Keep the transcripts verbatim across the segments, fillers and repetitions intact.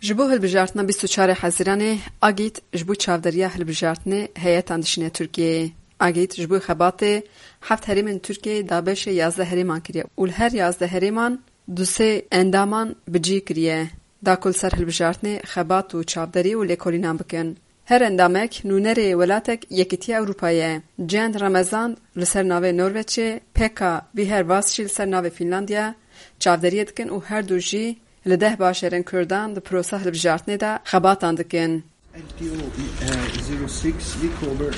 Ji bo hilbijartina bîst û çarê Hezîranê, Agît ji bo çavderiya hilbijartinê heyetan dişîne Tirkiyeyê. Agît ji bo xebatê heft herêmên Tirkiyeyê dabeşê yazdeh herêman kiriye û li her yazdeh herêman du sê endaman bi cî kiriye, da ku li ser hilbijartinê xebat û çavderî û lêkolînan bikin. Her endamek nûnerê welatek Yekîtiya Ewropa ye. Cend Remezan li ser navê Norveçê, Pekka Vihervass jî li ser navê Fînlandiya çavderiyê dikin û her du jî li deh bajarên Kurdan di prosa hilbijartinê de xebatan dikin. L T O, uh, zero six, we cover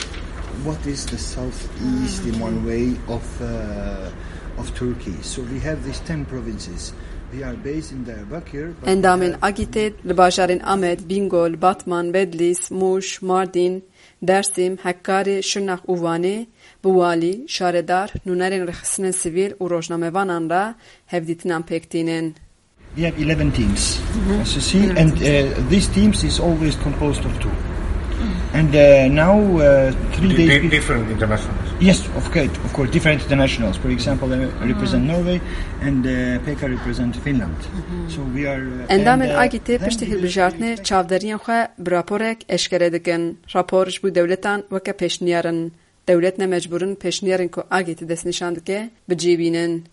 what is the southeast in one way of, uh, of Turkey. So we have these ten provinces. We are based in Diyarbakir, but we Endamên have Agîtê li bajarên Amed, Bîngol, Batman, Bedlîs, Mûş, Mardîn, Dêrsim, Hekkarê, Şirnex û Wanê bi walî, şaredar, nûnerên rêxistinên sivîl û rojnamevanan re hevdîtinan pêk tînin. We have eleven teams, as you see, and uh, these teams is always composed of two. And uh, now, uh, three Di- days di- be- different internationals. Yes, of course, of course, different internationals. For example, I represent Norway, and uh, Pekka represent Finland. So we are. Uh, Endamên and, uh, Agîtê then piştî we will hilbijartinê expect çavderiyên xwe bi raporek eşkere dikin. Rapor ji bo dewletan weke pêşniyar in. Dewlet ne mecbûr in pêşniyarên ku Agît destnîşan dike bi cî bînin.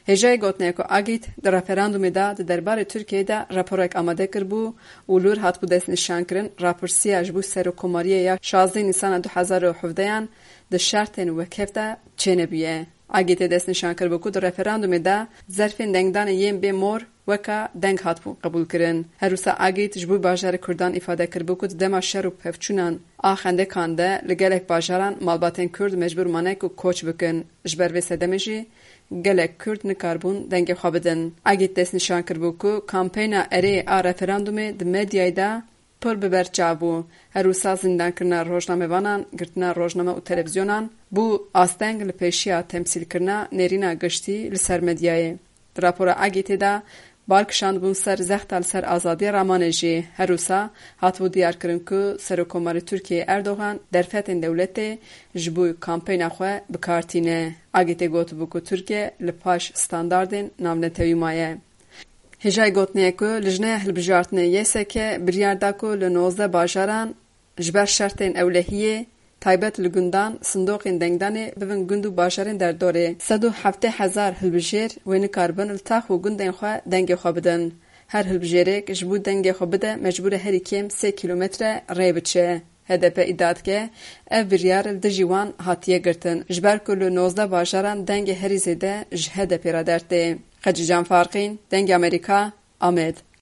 Hêjayê gotinê ye ku Agît di referandumê de di derbarê Tirkiyeyê de raporek amade kiribû û li wir hatibû destnîşankirin, rapirsiya ji bo serokkomariyê ya şazdeh Nîsana du hezar û hevdeyan di şertên wekhev de çênebûye. Agîtê destnîşan kiribû ku di referandumê de zerfên dengdanê yên bê mor weka deng hatibûn qebûlkirin. Her wisa Agît ji bo bajarê Kurdan îfade kiribû ku di dema şer û pevçûnan a xendekan de li gelek bajaran malbatên Kurd mecbûr mane ku koç bikin. Ji ber vê sedemê jî gelek Kurd nikaribûn dengê xwe bidin. Agît destnîşan kiribû ku kampeyna erê a referandumê di medyayê de pir bi ber çav bû. Her wisa zindankirina rojnamevanan, girtina rojname û televîzyonan bû asteng li pêşiya temsîlkirina nêrîna giştî li ser medyayê. Di rapora Agîtê de bal kişandibûn ser zexta li ser azadiya ramanê jî. Her wisa hatibû diyarkirin ku Serokkomarê Tirkiyeyê Erdogan derfetên dewletê ji bo kampeyna xwe bi kar tîne. Agîtê gotibû ku Tirkiye li paş standardên navnetewî maye. Hêjayê gotinê ye ku Lijneya Hilbijartinê Y S K biryar da ku li nozdeh bajaran ji ber şertên ewlehiyê taybet li gundan sindoqên dengdanê bibin gund û bajarên derdorê. Sed û heftê hezar hilbijêr wê nikaribin li tax û gundên xwe dengê xwe bidin. Her hilbijêrek ji bo dengê xwe bide mecbûr e herî kêm sê kîlometre rê biçe. H D P îdia dike, ev biryar li dijî wan hatiye girtin, ji ber ku li nozdeh bajaran dengê herî zêde ji H D P re dertê. Xecîcan Farqîn, Dengê Amerîka, Amed.